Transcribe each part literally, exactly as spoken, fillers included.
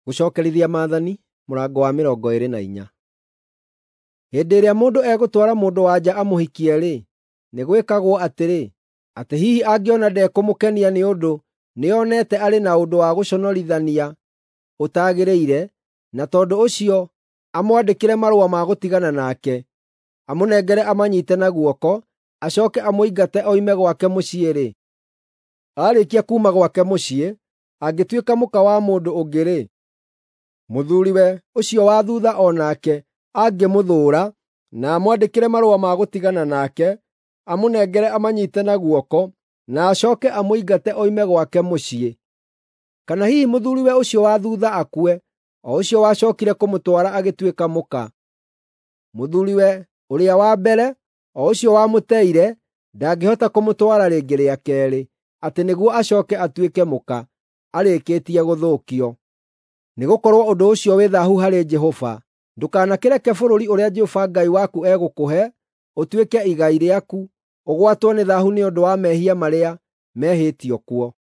Gũcookerithia Maathani mũrango wa mĩrongo ĩĩrĩ na inya. Hĩndĩ ĩrĩa mũndũ egũtwara mũndũ-wa-nja amũhikie-rĩ, nĩ gwĩkagwo atĩrĩ, atĩ hihi angĩona ndekũmũkenia nĩ ũndũ nĩonete arĩ na ũndũ wa gũconorithania ũtagĩrĩire, na tondũ ũcio amwandĩkĩre marũa ma gũtigana nake, amũnengere amanyiite na guoko, acooke amũingate oime gwake mũciĩ-rĩ, aarĩkia kuuma gwake mũciĩ, angĩtuĩka mũka wa mũndũ ũngĩ-rĩ, mũthuuriwe ũcio wa thuutha o nake angĩmũthũũra na amwandĩkĩre marũa ma gũtigana nake, amũnengere amanyiite na guoko, na acooke amũingate oime gwake mũciĩ. Kana hihi mũthuuriwe ũcio wa thuutha akue, o ũcio wacookire kũmũtwara agĩtuĩka mũka. Mũthuuriwe ũrĩa wa mbere, o ũcio wamũteire, ndangĩhota kũmũtwara rĩngĩ rĩa keerĩ, atĩ nĩguo acooke atuĩke mũka, arĩkĩtie gũthũkio. Nĩgũkorwo ũndũ ũcio wĩ thaahu harĩ Jehova. Ndũkanakĩreke bũrũri ũrĩa Jehova Ngai waku egũkũhe ũtuĩke igai rĩaku ũgwatwo nĩ thaahu nĩ ũndũ wa mehia marĩa mehĩtio kuo.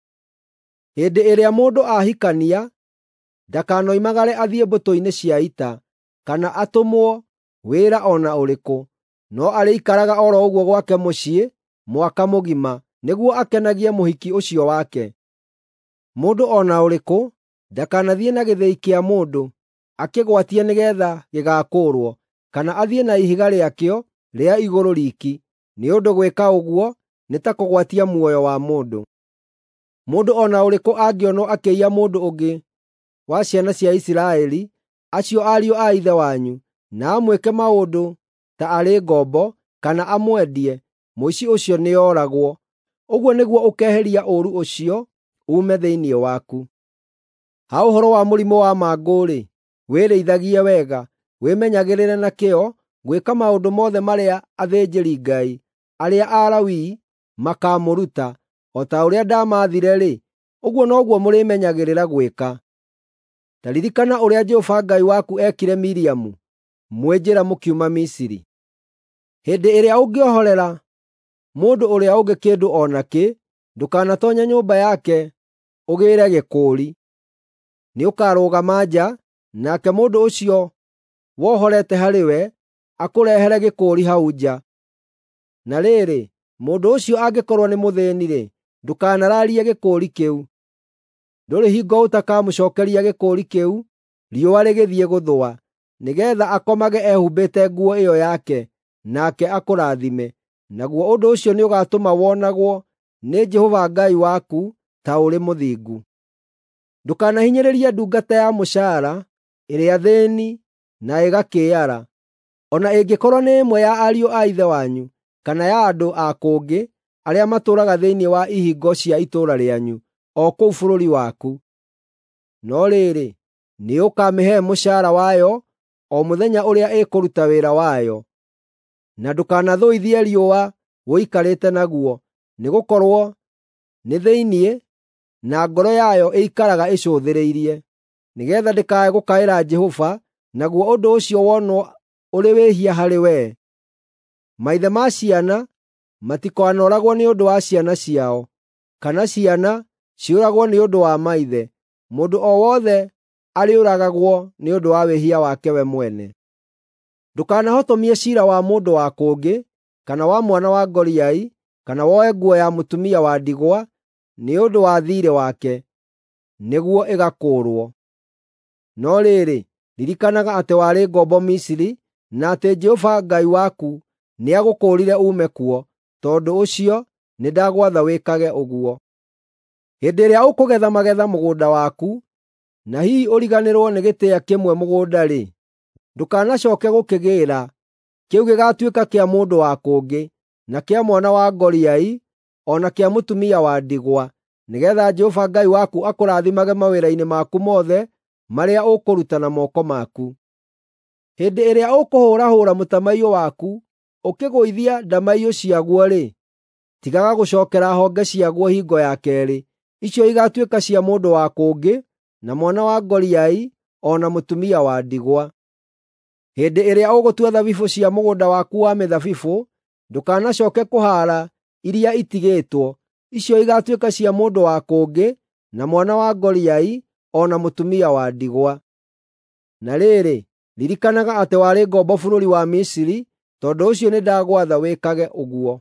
Hĩndĩ ĩrĩa mũndũ ahikania, ndakanoimagare athiĩ mbũtũ-inĩ cia ita, kana atũmwo wĩra o na ũrĩkũ, no arĩikaraga o ro ũguo gwake mũciĩ mwaka mũgima, nĩguo akenagie mũhiki ũcio wake. Mũndũ o na ũrĩkũ ndakanathiĩ na gĩthĩi kĩa mũndũ akĩgwatie nĩgeetha gĩgaakũũrwo, kana athiĩ na ihiga rĩakĩo rĩa igũrũ riiki, nĩ ũndũ gwĩka ũguo nĩ ta kũgwatia muoyo wa mũndũ. Mũndũ o na ũrĩkũ angĩonwo akĩiya mũndũ ũngĩ wa ciana cia Isiraeli, acio ariũ a ithe wanyu, na amwĩke maũndũ ta arĩ ngombo, kana amwendie, mũici ũcio nĩooragwo. Ũguo nĩguo ũkeeheria ũũru ũcio uume thĩinĩ waku. Ha ũhoro wa mũrimũ wa mangũ-rĩ, wĩrĩithagie wega, wĩmenyagĩrĩre na kĩyo gwĩka maũndũ mothe marĩa athĩnjĩri-Ngai arĩa Alawii makaamũruta. O ta ũrĩa ndamaathire-rĩ, ũguo noguo mũrĩmenyagĩrĩra gwĩka. Ta ririkana ũrĩa Jehova Ngai waku eekire Miriamu mwĩ njĩra mũkiuma Misiri. Hĩndĩ ĩrĩa ũngĩohorera mũndũ ũrĩa ũngĩ kĩndũ o nakĩ, ndũkanatoonye nyũmba yake ũgĩĩre gĩkũũri. Nĩũkarũgama nja, nake mũndũ ũcio wohorete harĩwe akũrehere gĩkũũri hau nja. Na rĩrĩ, mũndũ ũcio angĩkorwo nĩ mũthĩĩni-rĩ, ndũkanaraarie gĩkũũri kĩu. Ndũrĩ hingo ũtakamũcookeria gĩkũũri kĩu riũa rĩgĩthiĩ gũthũa, nĩgeetha akomage ehumbĩte nguo ĩyo yake, nake akũrathime. Naguo ũndũ ũcio nĩũgatũma wonagwo nĩ Jehova Ngai waku ta ũrĩ mũthingu. Ndũkanahinyĩrĩrie ndungata ya mũcaara ĩrĩa thĩĩni na ĩgakĩĩara, o na ĩngĩkorwo nĩ ĩmwe ya ariũ a ithe wanyu, kana ya andũ a kũngĩ arĩa matũũraga thĩinĩ wa ihingo cia itũũra rĩanyu, o kũu bũrũri waku. No rĩrĩ, nĩũkamĩhe mũcaara wayo o mũthenya ũrĩa ĩkũruta wĩra wayo. Na ndũkanathũithie riũa ũikarĩte naguo, nĩgũkorwo nĩ thĩinĩ na ngoro yayo ĩikaraga ĩcũthĩrĩirie, nĩgeetha ndĩkae gũkaĩra Jehova, naguo ũndũ ũcio wonwo ũrĩ wĩhia harĩ wee. Maithe ma ciana matikanoragwo nĩ ũndũ wa ciana ciao, kana ciana ciũragwo nĩ ũndũ wa maithe. Mũndũ o wothe arĩũragagwo nĩ ũndũ wa wĩhia wake we mwene. Ndũkanahotomie ciira wa mũndũ wa kũngĩ, kana wa mwana wa ngoriai, kana woe nguo ya mũtumia wa ndigwa nĩ ũndũ wa thiirĩ wake, nĩguo ĩgakũũrwo. No rĩrĩ, ririkanaga atĩ warĩ ngombo Misiri, na atĩ Jehova Ngai waku nĩagũkũũrire uume kuo, tondũ ũcio nĩndagwatha wĩkage ũguo. Hĩndĩ ĩrĩa ũkũgetha magetha mũgũnda waku, na hihi ũriganĩrwo nĩ gĩtĩa kĩmwe mũgũnda-rĩ, ndũkanacooke gũkĩgĩĩra. Kĩu gĩgaatuĩka kĩa mũndũ wa kũngĩ, na kĩa mwana wa ngoriai, o na kĩa mũtumia wa ndigwa, nĩgeetha Jehova Ngai waku akũrathimage mawĩra-inĩ maku mothe marĩa ũkũruta na moko maku. Hĩndĩ ĩrĩa ũkũhũrahũra mũtamaiyũ waku ũkĩgũithia ndamaiyũ ciaguo-rĩ, tigaga gũcookera honge ciaguo hingo ya keerĩ. Icio igaatuĩka cia mũndũ wa kũngĩ, na mwana wa ngoriai, o na mũtumia wa ndigwa. Hĩndĩ ĩrĩa ũgũtua thabibũ cia mũgũnda waku wa mĩthabibũ, ndũkanacooke kũhaara iria itigĩtwo. Icio igaatuĩka cia mũndũ wa kũngĩ, na mwana wa ngoriai, o na mũtumia wa ndigwa. Na rĩrĩ, ririkanaga atĩ warĩ ngombo bũrũri wa Misiri, tondũ ũcio nĩndagwatha wĩkage ũguo.